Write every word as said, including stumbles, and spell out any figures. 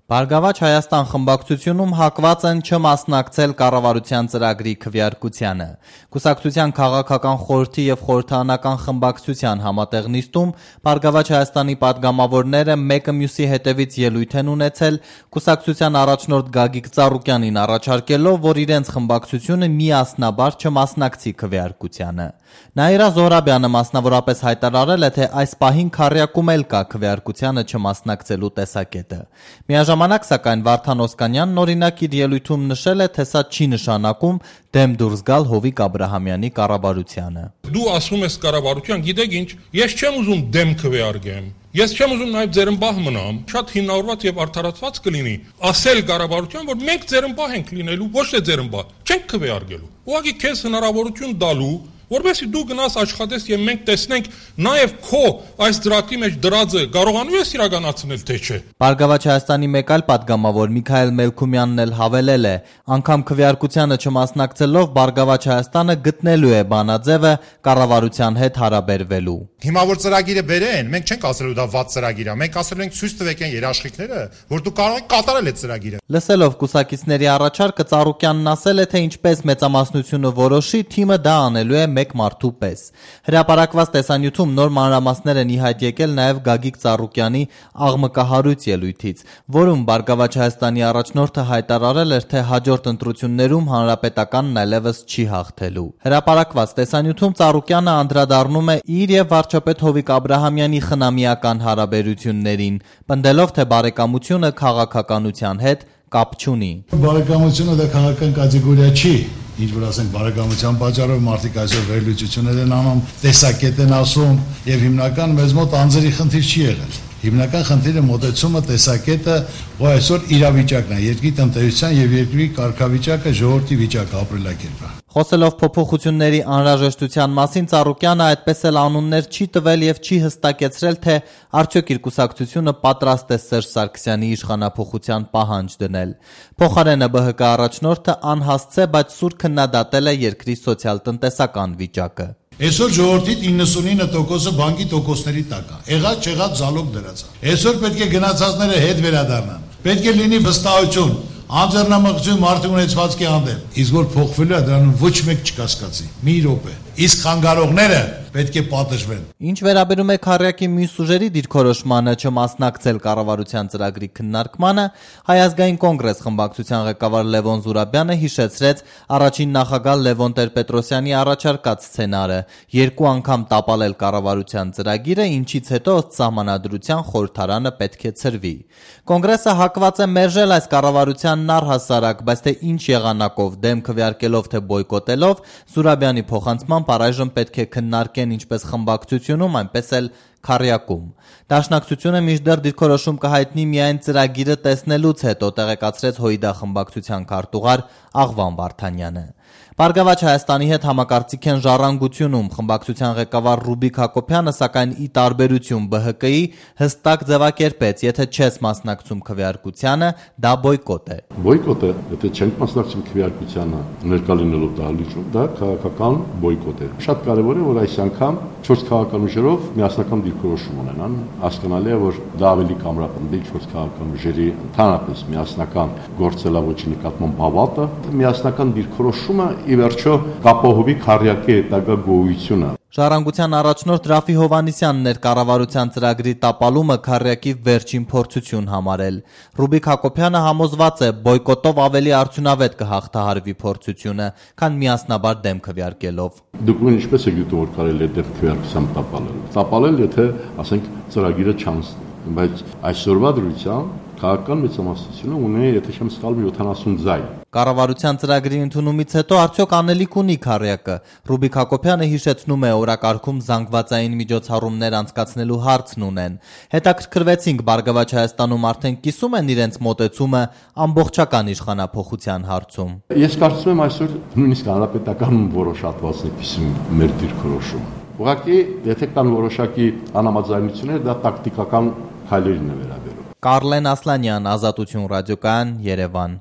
Բարգավաճ Հայաստան խմբակցությունում հակված են չմասնակցել կառավարության ծրագրի քվեարկությանը։ Կուսակցության քաղաքական խորհրդի եւ խորհրդարանական խմբակցության համատեղ նիստում Բարգավաճ Հայաստանի падգամավորները մեկը մյուսի հետևից ելույթ են ունեցել, կուսակցության առաջնորդ Գագիկ Ծառուկյանին առաջարկելով, որ իրենց խմբակցությունը միասնաբար չմասնակցի քվեարկությանը։ Նաիրա Զոհրաբյանը մասնավորապես հայտարարել է, թե այս պահին քառյակում էլ կա քվեարկությանը չմասնակցելու տեսակետը։ Միաժամանակ, սակայն, Վարդան Օսկանյանն օրինակ իր ելույթում նշել է, թե սա չի նշանակում դեմ դուրս գալ Հովիկ Աբրահամյանի կառավարությանը։ Դու ասում ես կառավարության, գիտեք ինչ, ես չեմ ուզում դեմ քվեարկեմ։ Ես չեմ ուզում նաև ձերմբահ մնամ, շատ հիմնավորված եւ արդարացված կլինի ասել կառավարության, որ մենք ձերմբահ ենք լինելու, ոչ թե ձերմբահ, չենք քվեարկելու։ Ուղղակի քեզ հնարավորություն տալու, որովհետեւ դու գնաս աշխատես եւ մենք տեսնենք նաեւ քո այս դրակի մեջ դրածը կարողանում ես իրականացնել թե չէ։ Բարգավաճ Հայաստանի մեկ այլ падգամավոր Միքայել Մելքումյանն էլ հավելել է, անգամ քվեարկությանը չմասնակցելով Բարգավաճ Հայաստանը գտնելու է բանաձևը կառավարության հետ հարաբերվելու։ Հիմա որ ծրագիրը բերեն, մենք չենք ասելու դա վատ ծրագիր է, մենք ասելու ենք ցույց տվեք այն երաշխիքները, որ դու կարող ես կատարել այդ ծրագիրը։ Լսելով կուսակիցների առաջարկը Ծառուկյանն ասել է, թե ինչպես մեծամասնությունը որոշի, թիմը դա անելու է մեկ մարդու պես։ Հրապարակված տեսանյութում նոր մանրամասներ են ի հայտ եկել նաև Գագիկ Ծառուկյանի աղմկահարույց ելույթից, որում Բարգավաճ Հայաստանի առաջնորդը հայտարարել էր, թե հաջորդ ընտրություններում հանրապետականն այլևս չի հաղթելու։ Հրապարակված տեսանյութում Ծառուկյանը անդրադառնում է իր եւ վարչապետ Հովիկ Աբրահամյանի խնամիական հարաբերություններին, պնդելով, թե բարեկամությունը քաղաքականության հետ կապ չունի։ Բարեկամությունը դա քաղաքական կատեգորիա չի, ինչ որ ասենք բարեկամության պատճառով մարդիկ այսօր վերլուծություններ են անում, տեսակետ են ասում եւ հիմնական մեզ մոտ անձերի խնդիր չի եղել։ Հիմնական խնդիրը մոտեցումը, տեսակետը, որ այսօր իրավիճակն է, երկրի տնտեսության եւ երկրի կարգավիճակը, ժողովրդի վիճակը, ապրելակերպը։ Խոսելով փոփոխությունների անհրաժեշտության մասին, Ծառուկյանը այդպես էլ անուններ չի տվել եւ չի հստակեցրել, թե արդյոք իր կուսակցությունը պատրաստ է Սերժ Սարգսյանի իշխանափոխության պահանջ դնել։ Փոխարենը ԲՀԿ առաջնորդը անհասցե, բայց սուր քննադատել է երկրի սոցիալ-տնտեսական վիճակը։ Այսօր ժողովրդի իննսունինը տոկոսը բանկի տոկոսների տակ է։ Եղած չեղած զալոգ դրած է։ Այսօր պետք է գնացածները հետ վերադառնան։ Պետք է լինի վստահություն, անձեռնամխություն մարդու ունեցվածքի հանդեպ։ Իսկ որ փոխվելու է, դրանում ոչ մեկ չկասկածի։ Մի րոպե։ Իսկ խանգարողները պետք է պատժվեն։ Ինչ վերաբերում է քառյակի մյուս ուժերի դիրքորոշմանը չմասնակցել կառավարության ծրագրի քննարկմանը, Հայ ազգային կոնգրես խմբակցության ղեկավար Լևոն Զուրաբյանը հիշեցրեց առաջին նախագահ Լևոն Տեր-Պետրոսյանի առաջարկած սցենարը՝ երկու անգամ տապալել կառավարության ծրագիրը, ինչից հետո ըստ սահմանադրության խորհրդարանը պետք է ցրվի։ Կոնգրեսը հակված է մերժել այս կառավարությանն առհասարակ, բայց թե ինչ եղանակով, դեմ քվեարկելով թե բոյկոտելով, Զուրաբյանի փոխանցմամբ առայժմ պետք է քննարկեն ինչպես խմբակցությունում, այնպես էլ քառյակում։ Դաշնակցությունը մինչդեռ դիրքորոշում կհայտնի միայն ծրագիրը տեսնելուց հետո, տեղեկացրեց ՀՅԴ խմբակցության քարտուղար Աղվան Վարդանյանը։ Բարգավաճ Հայաստանի հետ համակարծիք են Ժառանգությունում խմբակցության ղեկավար Ռուբիկ Հակոբյանը, սակայն ի տարբերություն ԲՀԿ-ի հստակ ձևակերպեց, եթե չես մասնակցում քվեարկությանը, դա բոյկոտ է։ Բոյկոտը, եթե չենք մասնակցում քվեարկությանը, ներկա լինելով դահլիճում, դա քաղաքական բոյկոտ է։ Շատ կարևոր է, որ այս անգամ չորս քաղաքական ուժերով միասնական դիրքորոշում ունենան, հասկանալի է, որ դա ավելի կամրապնդի չորս քաղաքական ուժերի ընդհանրապես միասնական գործելավոճի նկատմամբ հավատը, միասնական դիրքորոշումը ի վերջո կապահովի քառյակի հետագա գոյությունը։ Ժառանգության առաջնորդ Ռաֆի Հովհաննիսյանն էր կառավարության ծրագրի տապալումը քառյակի վերջին փորձություն համարել։ Ռուբիկ Հակոբյանը համոզված է, բոյկոտով ավելի արդյունավետ կհաղթահարվի փորձությունը, քան միասնաբար դեմ քվեարկելով։ Դուք ինչպես եք դիտում, որ կարելի է դեմ քվեարկությամբ տապալել։ Տապալել, եթե, ասենք, ծրագիրը չանցնի, բայց այսօրվա դրությամբ քաղաքական մեծամասնությունը ունի, եթե չեմ սխալվում, յոթանասուն ձայն։ Կառավարության ծրագրի ընդունումից հետո արդյոք անելիք ունի քառյակը։ Ռուբիկ Հակոբյանը հիշեցնում է, օրակարգում զանգվածային միջոցառումներ անցկացնելու հարցն ունեն։ Հետաքրքրվեցինք Բարգավաճ Հայաստանում արդեն կիսում են իրենց մոտեցումը ամբողջական իշխանափոխության հարցում։ Ես կարծում եմ այսօր նույնիսկ հանրապետական որոշատված է կիսում մեր դիրքորոշումը։ Ուղղակի, եթե կան որոշակի անհամաձայնություններ, դա տակտիկական քայլերին է վերաբերում։ Կարլեն Ասլանյան, Ազատություն ռադիոկայան, Երևան։